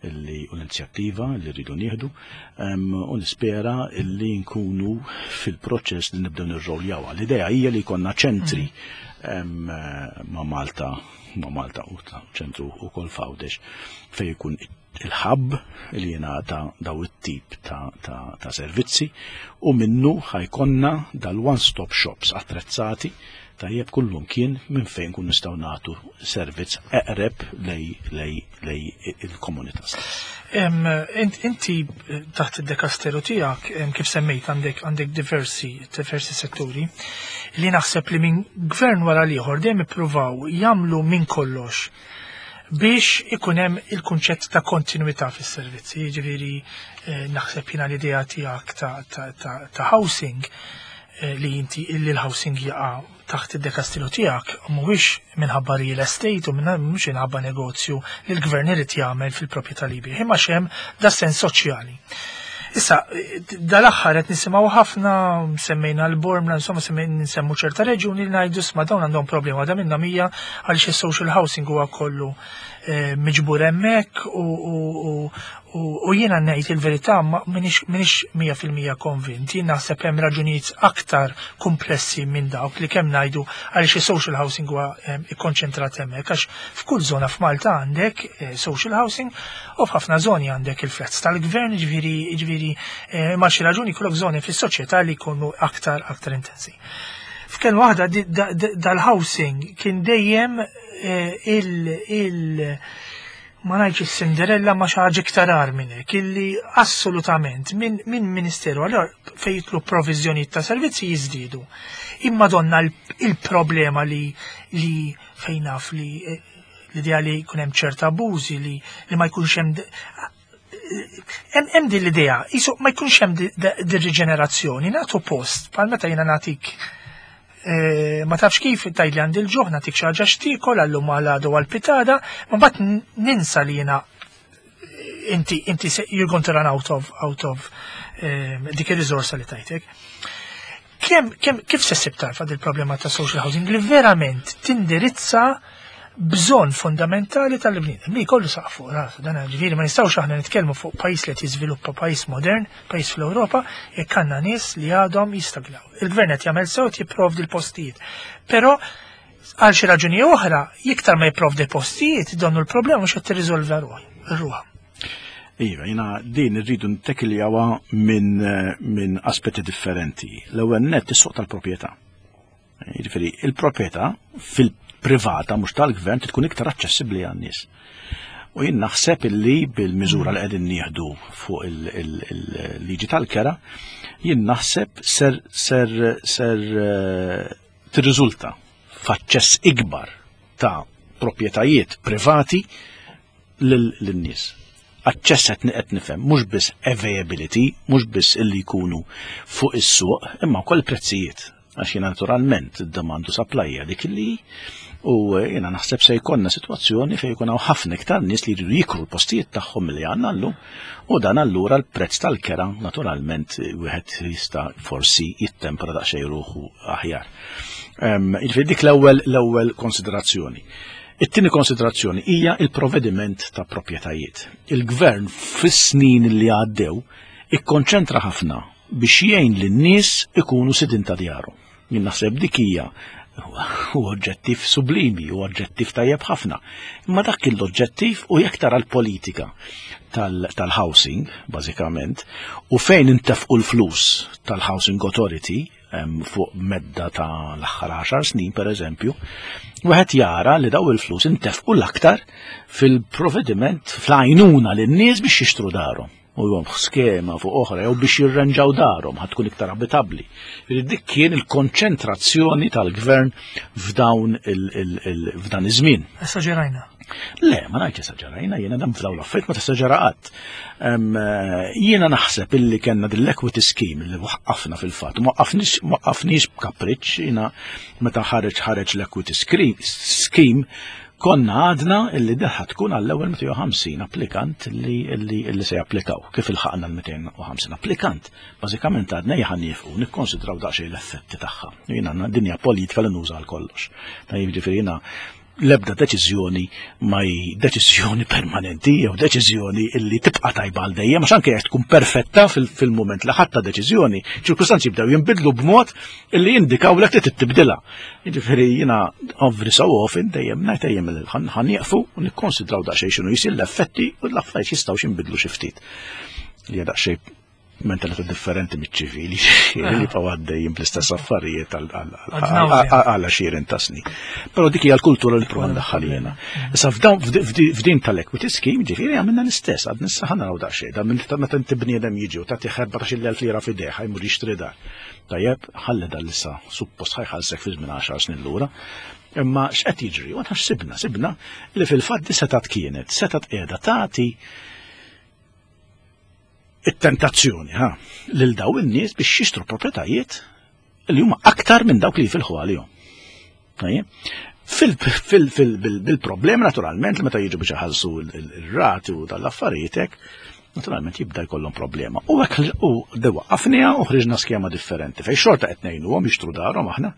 u l-inizjattiva li rridu nieħdu, u nispera illi nkunu fil-proċess li nibdew nirroljawha. L-idea hija li jkollna ċentri ma' Malta u ċentru ukoll f'Għawdex fejn jkun il-hub li jingħata daw it-tip ta' servizzi u minnu ħa jkollna dal-one-stop shops attrezzati tajjeb kullum kien minn fejn kun nistgħu nagħtu servizz eqreb lej il-komunità stess. Inti taħt id-dekasteru tiegħek, kif semmejt, għandek diversi setturi li naħseb li minn gvern wara l-ieħor dejjem ippruvaw jagħmlu minn kollox biex ikun hemm il-kunċett ta' kontinuità fis-servizzi. Jiġifieri naħseb jiena l-idea tiegħek ta' housing, li inti illi l-housing jaqa' taħt id-dekastilu tiegħek, mhuwiex minħabba real estate u mhux minħabba negozju li l-gvern irid jagħmel fil-proprjetà li jbigħ, imma xem da sens soċjali. Issa, dal-aħħar qed nisimgħu ħafna, semmejna l-Bormla, insomma nsemmu ċerta reġuni li ngħidu, "Sma, dawn għandhom problema." Da minnhom hija għaliex is-social housing huwa kollu miġbur hemmhekk u jiena ngħid il-verità m'iniex 100% konvint. Jien naħseb hemm raġunijiet aktar komplessi minn dawk li kemm ngħidu għaliex is-social housing huwa ikkonċentrat hemmhekk, għax f'kull żona f'Malta għandek social housing u f'ħafna żoni għandek il-flats tal-gvern, ġifieri ma xi raġuni jkollok żoni fis-soċjetà li jkunu aktar intensi. F'kelma waħda, dal-housing kien dejjem il ma ngħidx is-Cinderella, ma xi ħaġa iktar agħar minn hekk, illi assolutament minn ministeru allora fejn jidħlu provviżjonijiet ta' servizzi jiżdiedu. Imma donna il-problema li fejn naf li l-idea li jkun hemm ċerta abbużi li ma jkunx hemm hemm din l-idea, jisu ma jkunx hemm din riġenerazzjoni, nagħtu post, bħal meta jiena nagħtik, ma tafx kif tgħid li għandi l-ġuħ, nagħtik xi ħaġa x'tiekol għallum għal għadu għal pitada, ma mbagħad ninsa li jiena inti you're going to run out of dik ir-riżorsa li tajtek. Kif se ssib tarfa dil-problema ta' social housing li verament tindirizza bżonn fundamentali tal-bniedem li jkollu saqaf fuq rasu? Dan ġifieri ma nistgħux aħna nitkellmu fuq pajjiż li qed jiżviluppa, pajjiż modern, pajjiż fl-Ewropa, jekk għandna nies li għadhom jistaglaw. Il-gvern qed jagħmel sew, jipprovdi l-postijiet. Però għal xi raġuni oħra, iktar ma jipprovdi postijiet, donnu l-problema mhux qed tirriżolva ruħha. Iva, jiena din irridu nittekiljawha minn aspetti differenti. L-ewwel net, is-suq tal-proprjetà. Jiġifieri, il-proprjetà fil-privata, mhux tal-gvern, tkun iktar aċċessibbli għan-nies. U jien naħseb illi bil-miżura li qegħdin nieħdu fuq il-liġi tal-kera, jien naħseb ser tirriżulta f'aċċess ikbar ta' proprjetajiet privati lin-nies. Aċċess qed nifhem mhux biss availability, mhux biss illi jkunu fuq is-suq, imma wkoll prezzijiet. Għax jiena naturalment id-demand u supply dik li u jiena naħseb se jkollna sitwazzjoni fejn jkun hawn ħafna iktar nies li jridu jikru l-postijiet tagħhom milli għandna llum, u dan allura l-prezz tal-kera naturalment wieħed jista' forsi jittempra daqsxejn ruħu aħjar. Jiġifieri dik l-ewwel konsiderazzjoni. It-tieni konsiderazzjoni hija il-provvediment ta' proprjetajiet. Il-gvern fis-snin li għaddew ikkonċentra ħafna biex jgħin lin-nies ikunu sidin ta' djarhom. Jien naħseb dik hija u oġġettiv sublimi, u oġġettiv tajjeb ħafna. Imma dak kien l-oġġettiv, u jekk tara l-politika tal-housing, bażikament, u fejn intefqu l-flus tal-Housing Authority fuq medda ta' l-aħħar 10 snin, per eżempju, wieħed jara li daw il-flus intefqu l-aktar fil-provvediment, fl-għajnuna lin-nies biex jixtru darhom. U jom skema fuq oħra, jew biex jirranġaw darhom ħa tkun iktar abitabbli. Dik kien il-konċentrazzjoni tal-gvern f'dan iż-żmien. Esaġerajna. Le, ma ngħidx esaġerajna, jiena dam f'dawn l-affarijiet ma tesaġera qatt. Jiena naħseb illi kellna din l-equity scheme li waqqafna fil-fatt, ma waqqafniex b'kapriċċ, jiena meta ħareġ l-equity scheme konna għadna illi deħa tkun għall-ewwel 250 applikant li se japplikaw. Kif ilħaqna l-250 applikant, bażikament għadna ejja nieqfu nikkonsidraw daqsxejn l-effetti tagħha. Jiena dinja politika li nuża għal kollox. Ta' jiġifieri jiena l-ebda deċiżjoni ma hi deċiżjoni permanenti jew deċiżjoni illi tibqa' tajba għal dejjem, għax anke jekk tkun perfetta fil-mument li ħadta deċiżjoni, ċirkustanzi jibdew jinbidlu b'mod illi jindikaw lek li tibdilha. Jiġifieri jiena every so often dejjem ngħid dejjem li ħa nieqfu u nikkonsidraw daqsxejn x'inhu jsir, l-effetti u l-affarijiet jistgħu jinbidlu xi ftit. Li hija daqsxejn mentalità differenti miċ-ċivili li pa għaddejjin bl-istess affarijiet għal għexieren ta' snin. Però dik hija l-kultura li prova ndaħħal jiena. Issa f'din tal-equity scheme, ġifieri, għamilna l-istess, għad nissa ħa naraw daqsxejn, dan minn meta inti bniedem jiġi u tagħti 14,000 lira f'idejh jmur jixtri dar. Tajjeb, ħalli dan issa suppost ħa jħallsek fi żmien 10 snin lura. Imma x'qed jiġri? U aħna x'sibna? Sibna li fil-fatt di setat kienet, setat qiegħda tagħti it-tentazzjoni ha lil daw in-nies biex jixtru proprjetajiet li huma aktar minn dawk li jifilħu għalihom. Tajjeb? Bil-problema naturalment li meta jiġu biex iħallsu il-rati u tal-affarijiet hekk, naturalment jibda jkollhom problema. U hekk u waqqafnieha u ħriġna skema differenti fejn xorta qed ngħinuhom jixtru darhom aħna,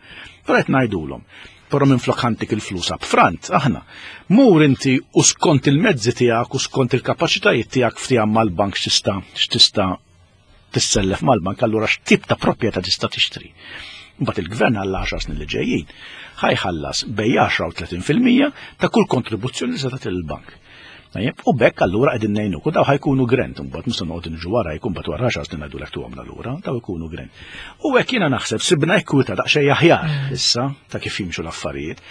però qed ngħidulhom. Però minflok ħantik il-flus upfront, aħna. Mur inti u skont il-mezzi tiegħek u skont il-kapaċitajiet tiegħek ftehim mal-bank x'tista' x'tista' tissellef mal-bank, allura x'tip ta' proprjetà tista' tixtri. Mbagħad il-gvern għal 10 snin li ġejjin ħa jħallas bejn 10 u 30% ta' kull kontribuzzjoni li se tagħti lill-bank. Tajjeb, u b'hekk allura qegħdin ngħinuk u daw ħa jkunu grant imbagħad mhux se noqgħod niġu wara jkun mbagħad wara 10 snin ngħidulek tuhomna lura, daw ikunu grant. U hekk jiena naħseb sibna ekwita daqsxejn aħjar issa ta' kif jimxu l-affarijiet.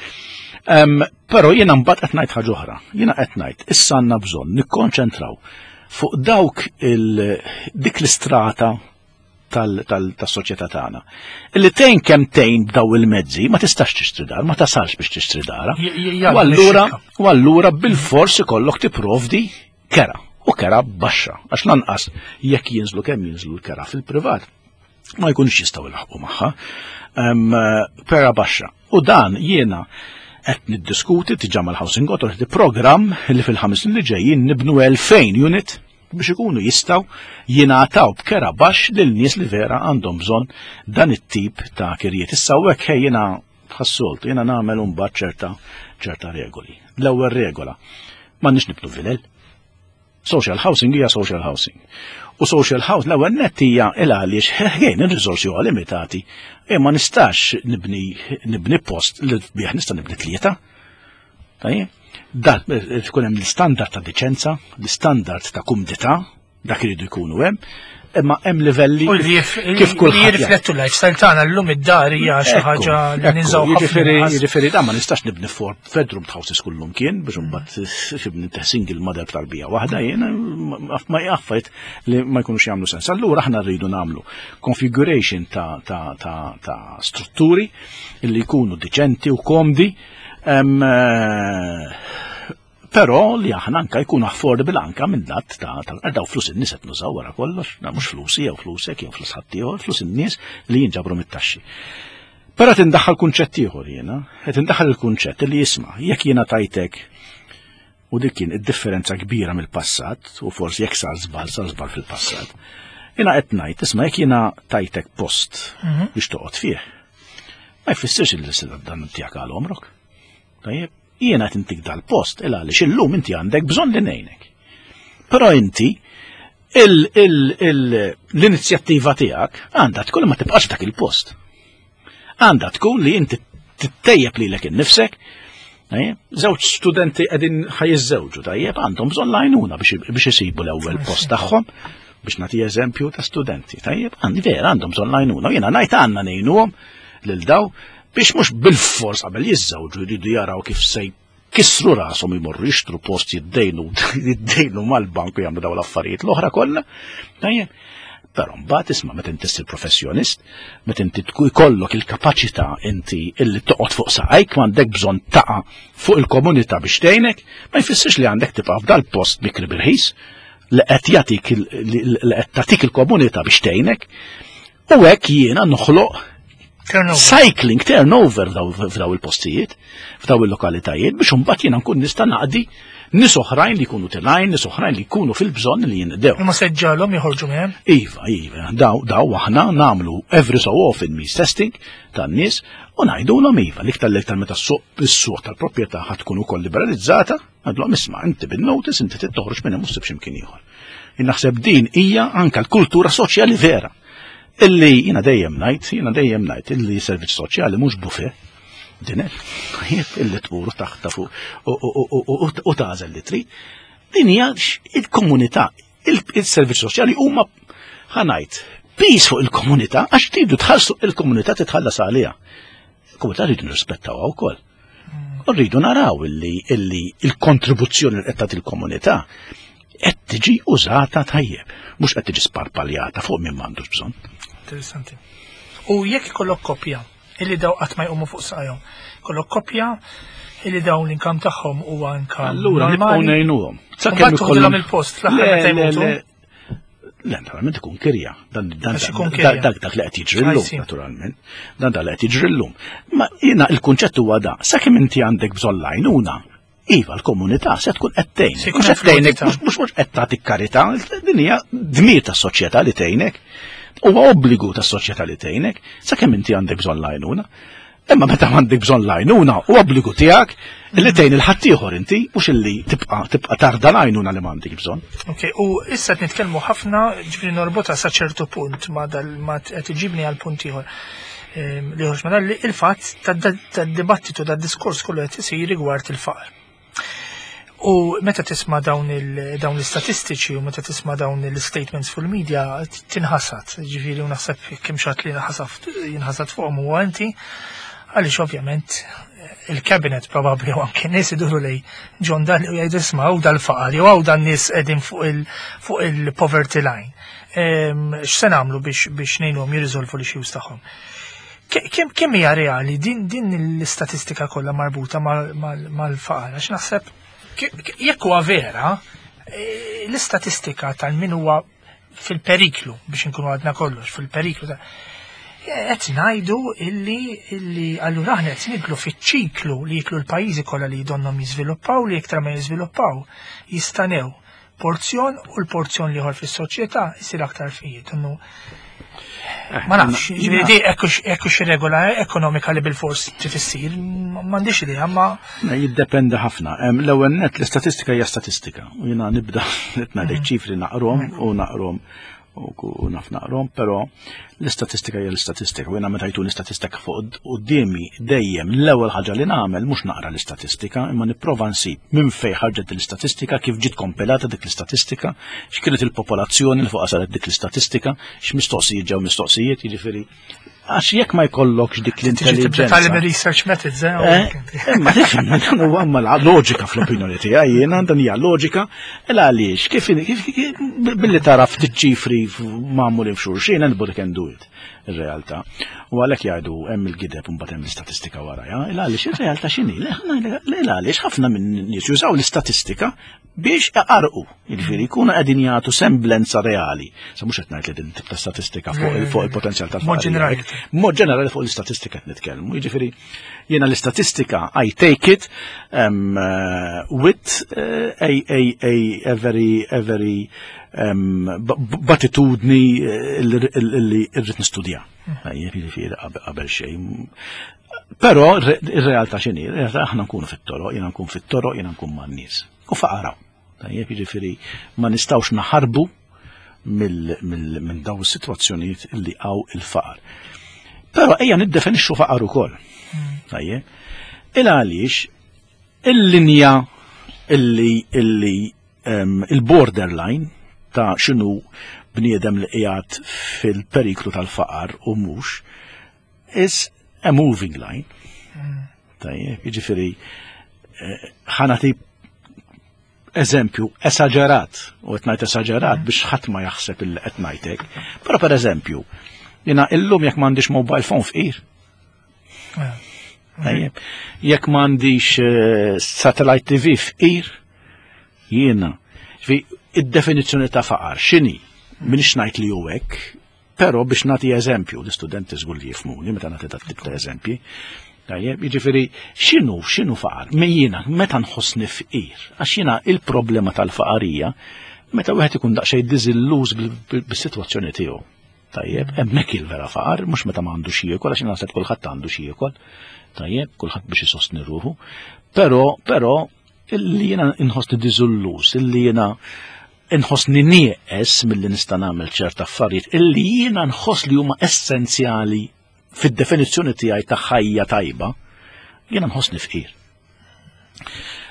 Però jiena mbagħad qed ngħid ħaġa oħra. Jiena qed ngħid issa għandna bżonn nikkonċentraw fuq dawk dik l-istrata tas-soċjetà tagħna. Illi tgħin kemm tgħin b'daw il-mezzi ma tistax tixtri dar, ma tasalx biex tixtri dara. U allura u allura bil-fors ikollok tipprovdi kera u kera baxxa għax lanqas jekk jinżlu kemm jinżlu l-kera fil-privat ma jkunx jistgħu jlaħqu magħha. Kera baxxa. U dan jiena qed niddiskuti diġà mal-Housing Authority programm li fil-5 snin li ġejjin nibnu 2000 unit biex ikunu jistgħu jingħataw b'kera baxx lil nies li vera għandhom bżonn dan it-tip ta' kirjiet. Issa hekk ħej jiena bħas-soltu jiena nagħmel imbagħad ċerta regoli. L-ewwel regola, m'għandniex nibnu vilel. Social housing hija social housing. U social housing l-ewwel nett hija il għaliex ħejn ir-riżorsi huwa limitati, e ma nistax nibni post li bih nista' nibni tlieta. Tajjeb? Dan tkun hemm l-istandard ta' diċenza, l-istandard ta' kumdità, dak iridu jkunu hemm, imma hemm livelli U li kif kulħadd jaf. jirriflettu l-lifestyle tagħna llum id-dar hija xi ħaġa li ninżaw ħafna. Jiġifieri dan ma nistax nibni four bedroom houses kullum kien biex imbagħad tibni single mother tarbija waħda jiena ma jaffajt li ma jkunux jagħmlu sens. Allura aħna rridu nagħmlu configuration ta' strutturi li jkunu diċenti u komdi. Però li aħna anka jkun affordable anka minn lat ta' daw flus in-nies qed nużaw wara kollox, na mhux flusi jew flusek jew flus ħaddieħor, flus in-nies li jinġabru mit-taxxi. Però qed indaħħal kunċett ieħor jiena, qed indaħħal il-kunċett li jisma' jekk jiena tajtek u dik kien id-differenza kbira mill-passat u forsi jekk sar żball sar żball fil-passat. Jiena qed ngħid isma' jekk jiena tajtek post biex toqgħod fih, ma jfissirx li se dan tiegħek għal għomrok. Tajjeb, jiena qed intik dal-post il għaliex illum inti għandek bżonn li ngħinek. Però inti l-inizjattiva tiegħek għandha tkun ma tibqax dak il-post. Għandha tkun li inti tittejjeb lilek innifsek. Tajjeb, żewġ studenti qegħdin ħa jiżżewġu, tajjeb, għandhom bżonn l-għajnuna biex isibu l-ewwel post tagħhom, biex nagħti eżempju ta' studenti, tajjeb, għandi vera għandhom bżonn l-għajnuna, jiena ngħid għandna ngħinuhom lil daw biex mhux bil-fors qabel jiżżewġu jridu jaraw kif se jkissru rashom imorru jixtru post jiddejnu mal-bank u jagħmlu daw l-affarijiet l-oħra kollha. Tajjeb. Però mbagħad isma' meta inti ssir professjonist, meta inti jkollok il-kapaċità inti illi toqgħod fuq saqajk m'għandek bżonn taqa' fuq il-komunità biex tgħinek, ma jfissirx li għandek tibqa' f'dal-post mikri birħis li qed jagħtik li qed tagħtik il-komunità biex tgħinek. U hekk jiena noħloq Turnover. Cycling, turnover f'daw il-postijiet, f'daw il-lokalitajiet, biex imbagħad jiena nkun nista' naqdi nies oħrajn li jkunu tilgħin, nies oħrajn li jkunu fil-bżonn li jinqdew. Imma se ġġagħalhom joħorġu minn hemm? Iva, iva, daw aħna nagħmlu every so often means testing tan-nies u ngħidulhom iva, l-iktar l-iktar meta s-suq tal-proprjetà ħa tkun ukoll liberalizzata, ngħidulhom isma' inti bin-notice inti trid toħroġ minn hemm u ssib x'imkien ieħor. Naħseb din hija anka l-kultura soċjali vera. Illi jiena dejjem ngħid, jiena dejjem ngħid illi servizz soċjali mhux buffet. Dinner, illi tmur taħta fuq u tagħżel li trid. Din hija il-komunità, il-servizz soċjali huma ħa ngħid piż fuq il-komunità għax tridu tħallsu il-komunità titħallas għaliha. Il-komunità rridu nirrispettawha wkoll. U rridu naraw illi il-kontribuzzjoni li qed tagħti il-komunità qed tiġi użata tajjeb, mhux qed tiġi sparpaljata fuq min m'għandux bżonn. Interessanti. U jekk ikollok koppja illi daw qatt ma jqumu fuq saqajhom, ikollok koppja illi dawn l-income tagħhom huwa income Allura nibqgħu normali. ngħinuhom. U mbagħad toħdilhom il-post fl-aħħar Le, meta le, jmutu. le. Le, naturalment ikun kirja. Għax ikun kirja. Dak li qed jiġri llum, I see. naturalment. Dan dak li qed jiġri llum. Ma jiena il-kunċett huwa da, sakemm inti għandek bżonn l-għajnuna, iva l-komunità se tkun qed tgħinek. Se jkun Mhux qed tgħinek, influwita. mhux qed tagħtik karità, din hija dmir tas-soċjetà li tgħinek. Huwa obbligu tas-soċjetà li tgħinek, sakemm inti għandek bżonn l-għajnuna. Imma meta m'għandek bżonn l-għajnuna u obbligu tiegħek illi tgħin il-ħaddieħor inti mhux illi tibqa' tibqa' tarda l-għajnuna li m'għandek bżonn. Ok, u issa qed nitkellmu ħafna, ġifieri norbotha sa ċertu punt ma dal ma qed iġibni għal punt ieħor. Li ħorġ ma dal il-fatt tad-dibattitu tad-diskors kollu qed isir rigward il-faqar. U meta tisma' dawn l-istatistiċi u meta tisma' dawn l-statements fil-media tinħasad, ġifieri u naħseb kemm xi ħadd li jinħasad fuqhom huwa inti, għaliex ovvjament il-cabinet probabbli u anke nies iduru lej John Dalli u jgħidu isma' hawn dal-faqar jew hawn dan nies qegħdin fuq il-poverty line. X'se nagħmlu biex ngħinuhom jirriżolvu l-issues tagħhom? Kemm hija reali din l-istatistika kollha marbuta mal-faqar? Għax naħseb jekk huwa vera, l-istatistika tal-min huwa fil-periklu biex inkunu għadna kollox fil-periklu ta' qed ngħidu illi illi allura aħna qed nidlu fiċ-ċiklu li jiklu l-pajjiżi kollha li jdonnhom jiżviluppaw li iktar ma jiżviluppaw jistanew porzjon u l-porzjon l-ieħor fis-soċjetà jsir aktar fqir. Donnu ma nafx, ġifieri di hekk xi regola ekonomika li bil-fors trid issir, m'għandix idea, ma Jiddependi ħafna. L-ewwel nett l-istatistika hija statistika. U jiena nibda qed ngħidlek ċifri naqrom u naqrom u naf naqrom, però l-istatistika hija l-istatistika. U jiena meta jtuni statistika fuq quddiemi dejjem l-ewwel ħaġa li nagħmel mhux naqra l-istatistika, imma nipprova nsib minn fejn ħarġet l-istatistika, kif ġiet kompilata dik l-istatistika, x'kienet il-popolazzjoni li fuqha saret dik l-istatistika, x'mistoqsijiet ġew mistoqsijiet, jiġifieri għax jekk ma jkollokx dik l-intelligenza. Titgħallem research methods, eh? Imma tifhem, dan huwa amma loġika fl-opinjoni tiegħi jiena dan hija loġika il għaliex kif billi tara ftit ċifri magħmulin f'xulxin anybody can do it ir-realtà. U għalhekk jgħidu hemm il-gideb u mbagħad hemm l-istatistika warajha, il għaliex ir-realtà x'inhi? Le għaliex ħafna minn nies jużaw l-istatistika biex iqarqu, jiġifieri jkunu qegħdin jagħtu semblenza reali. Sa mhux qed ngħid li din tip ta' statistika fuq il-potenzjal tal Mod ġenerali. Mod ġenerali fuq l-istatistika qed nitkellmu. Jiġifieri jiena l-istatistika I take it with a, a, a, a very, a very b'attitudni li rrid nistudja. Jiġifieri qabel xejn. Però ir-realtà x'inhi? Ir-realtà aħna nkunu fit-toroq, jiena nkun fit-toroq, jiena nkun man-nies. U faqaraw. Tajjeb, jiġifieri ma nistgħux naħarbu minn dawn is-sitwazzjonijiet li hawn il-faqar. Però ejja niddefinixxu faqar ukoll. Tajjeb. Il għaliex il-linja illi illi il-borderline ta' x'inhu bniedem li qiegħed fil-periklu tal-faqar u mhux is a moving line. Tajjeb, jiġifieri ħa nagħti eżempju esaġerat, u qed ngħid esaġerat biex ħadd ma jaħseb illi qed ngħidlek. Però pereżempju, jiena illum jekk m'għandix mobile phone fqir. Tajjeb, jekk m'għandix satellite TV fqir, jiena. Id-definizzjoni ta' faqar x'inhi? Minix ngħid li hu hekk, però biex nagħti eżempju, l-istudenti żgur li jifhmuni meta nagħti dat tip ta' eżempji. Tajjeb, jiġifieri x'inhu x'inhu faqar? Jiena meta nħossni fqir, għax jiena il-problema tal-faqarija meta wieħed ikun daqsxejn diżilluż bis-sitwazzjoni tiegħu. Tajjeb, hemmhekk il-vera faqar, mhux meta m'għandu xi jiekol, għax naħseb kulħadd għandu xi jiekol. Tajjeb, kulħadd biex isostni ruħu. Però, però, illi jiena nħossni diżilluż, illi jiena nħossni nieqes milli nista' nagħmel ċerta affarijiet, illi jiena nħoss li huma essenzjali fid-definizzjoni tiegħi ta' ħajja tajba, jiena nħossni fqir.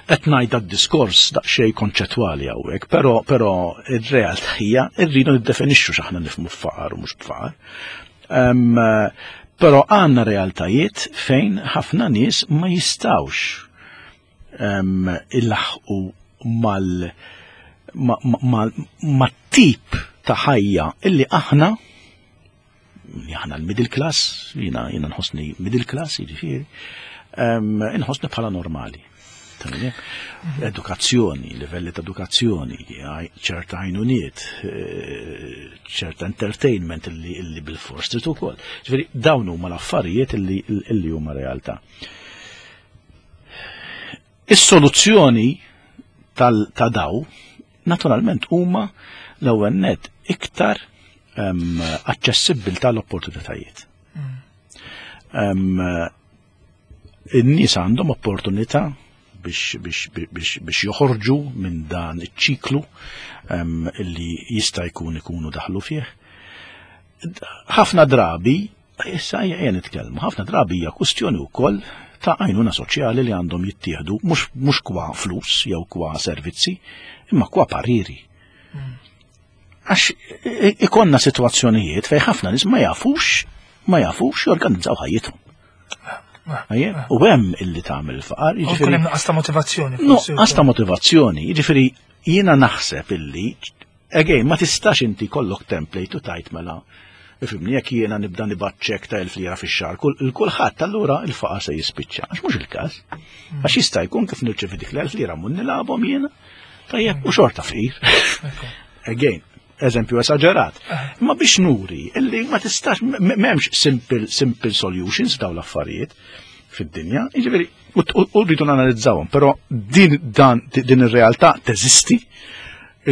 Qed ngħid d-diskors daqsxejn konċettwali hawnhekk, però però ir-realtà hija rridu niddefinixxu x'aħna nifhmu f'faqar u mhux b'faqar. Però għandna realtajiet fejn ħafna nies ma jistgħux ilaħqu mal ma' tip ta' ħajja illi aħna li aħna l-middle class, jiena jiena nħossni middle class, jiġifieri, inħossni bħala normali. Edukazzjoni, livelli ta' edukazzjoni, ċerta għajnuniet, ċerta entertainment illi bil-fors trid ukoll. Ġifieri dawn huma l-affarijiet illi huma realtà. Is-soluzzjoni ta' daw naturalment huma l-ewwel net iktar aċċessibbli tal-opportunitajiet. In-nies għandhom opportunità biex, biex, biex, biex joħorġu minn dan iċ-ċiklu illi jista' jkun ikunu daħlu fih. Ħafna drabi, issa ejja nitkellmu, ħafna drabi hija kwistjoni wkoll ta' għajnuna soċjali li għandhom jittieħdu mhux kwa flus jew kwa servizzi, imma kwa pariri. Għax ikonna sitwazzjonijiet fejn ħafna nies ma jafux jorganizzaw ħajjithom. U hemm illi tagħmel il-faqar, jiġifieri. Hemm nuqqas ta' motivazzjoni. Nuqqas ta' motivazzjoni, jiġifieri jiena naħseb illi again ma tistax inti kollok template u tajt mela ifhimni jekk jiena nibda nibgħat ċekk ta' 1000 lira fix-xahar, il-kulħadd allura il-faqar se jispiċċa. Għax mhux il-każ. Għax jista' jkun kif nirċevi dik l-1000 lira mun nilgħabhom jiena. Tajjeb, u xorta fqir. Again, eżempju esaġerat. Ma biex nuri, illi ma tistax, m'hemmx simple solutions daw l-affarijiet fid-dinja, jiġifieri, u rridu nanalizzawhom, però din dan din ir-realtà teżisti,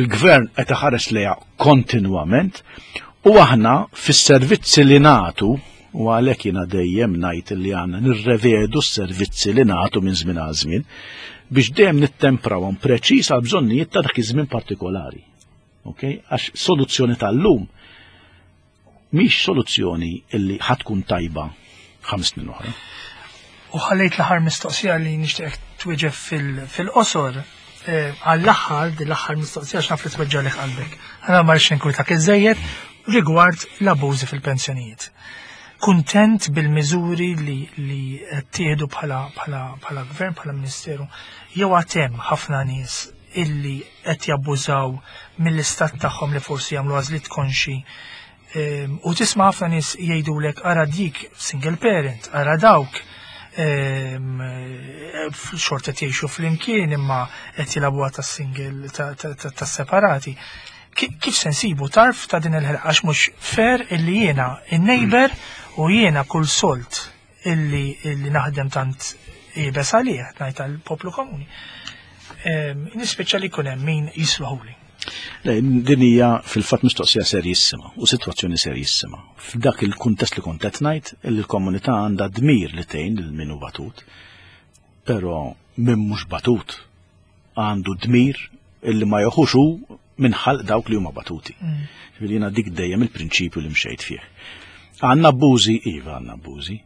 il-gvern qed iħares lejha kontinwament, u aħna fis-servizzi li nagħtu, u għalhekk jiena dejjem ngħid li għandna nirrevedu s-servizzi li nagħtu minn żmien għal żmien biex dejjem nittemprawhom preċiż għal bżonnijiet ta' dak iż-żmien partikolari. Ok? Għax soluzzjoni tal-lum mhix soluzzjoni illi ħatkun tajba 5 snin oħra. U ħallejt l-aħħar mistoqsija li nixtieq twieġeb fil-qosor. Għall-aħħar, din l-aħħar mistoqsija x'naf li tweġġalek qalbek. Għana ma rridx ninkwitak iżejjed rigward l-abużi fil-pensjonijiet. Kuntent bil-miżuri li tieħdu bħala gvern, bħala ministeru, jew għad hemm ħafna nies illi qed jabbużaw mill-istat tagħhom li forsi jagħmlu għażliet konxi? U tisma' ħafna nies jgħidulek ara dik single parent, ara dawk xorta jgħixu flimkien imma qed jilagħbuha tas-single tas-separati. Kif se nsibu tarf ta' din il-ħelqa għax mhux fair illi jiena in-neighbor u jiena kull solt illi naħdem tant iebes għalih, ngħid għall-poplu komuni. Nispiċċa li jkun hemm min jisluħuli. Le, din hija fil-fatt mistoqsija serjissima u sitwazzjoni serjissima. F'dak il-kuntest li kont qed ngħid li l-komunità għandha dmir li tgħin lil min hu batut, però min mhux batut għandu dmir illi ma joħux hu minn ħalq dawk li huma batuti. Ġifieri jiena dik dejjem il-prinċipju li mxejt fih. Għandna abbużi, iva għandna abbużi.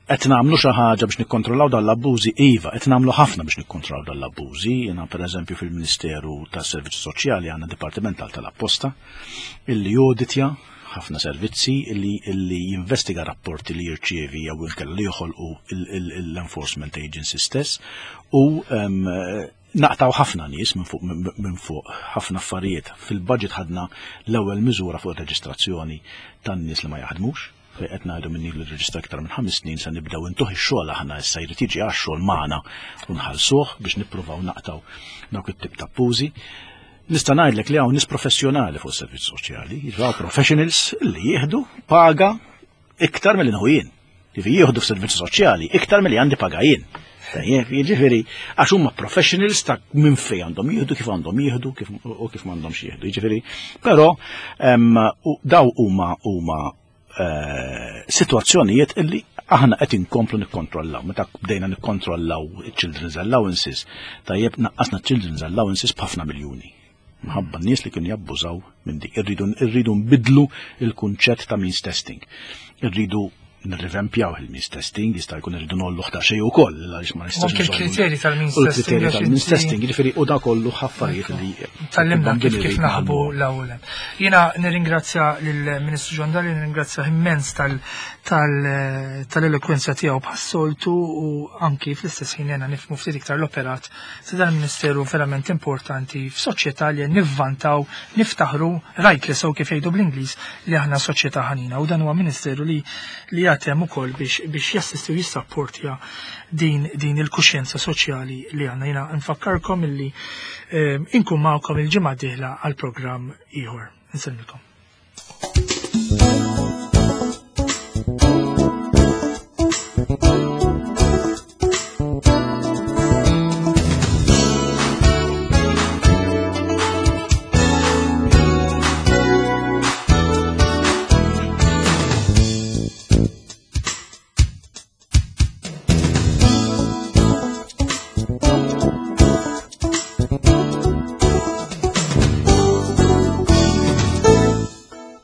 Qed nagħmlu xi ħaġa biex nikkontrollaw dan l-abbużi, iva, qed nagħmlu ħafna biex nikkontrollaw dan l-abbużi. Jiena pereżempju fil-Ministeru tas-Servizzi Soċjali għandna dipartiment tal-apposta illi joditja ħafna servizzi illi jinvestiga rapporti li jirċievi jew inkella li joħolqu l-enforcement agency stess u naqtaw ħafna nies minn fuq ħafna affarijiet. Fil-budget ħadna l-ewwel miżura fuq ir-reġistrazzjoni tan-nies li ma jaħdmux, fejn qed ngħidu minni li reġistra iktar minn 5 snin se nibdew intuh ix-xogħol aħna issa jrid jiġi għax-xogħol magħna u nħallsuh biex nippruvaw naqtaw dawk it-tip ta' abbużi. Nista' ngħidlek li hawn nies professjonali fuq is-servizz soċjali, jiġu professionals li jieħdu paga iktar milli nieħu jien. Jiġifieri jieħdu f'servizzi soċjali iktar milli għandi paga jien. Tajjeb, jiġifieri għax huma professionals ta' minn fejn għandhom jieħdu, kif għandhom jieħdu, kif u kif m'għandhomx jieħdu. Jiġifieri, però daw huma sitwazzjonijiet illi aħna qed inkomplu nikkontrollaw. Meta bdejna nikkontrollaw children's allowances, tajjeb naqqasna children's allowances b'ħafna miljuni. Minħabba n-nies li kienu jabbużaw minn dik. Irridu nbidlu il-kunċett ta' means testing. Irridu nirrivempjaw il-means testing, jista' jkun irridu nollu ta' xejn ukoll, għaliex ma nistax. Anke il-kriterji tal-means U l-kriterji testing. Tal-means testing, jiġifieri u da kollu affarijiet li Tgħallimna kif naħbu l-ewwel. Jiena nirringrazzja lill-Ministru John Dalli, nirringrazzja immens tal-elokwenza tiegħu bħas-soltu u anki fl-istess ħin jena nifhmu ftit iktar l-operat ta' dan il-Ministeru verament importanti f'soċjetà li nivvantaw, niftaħru, rajt li sew kif jgħidu bl-Ingliż li aħna soċjetà ħanina u dan huwa ministeru li jagħtem ukoll biex jassisti u jissapportja din il-kuxjenza soċjali li għandna. Jiena nfakkarkom illi inkun magħkom il-ġimgħa dieħla għal programm ieħor. Insellmilkom.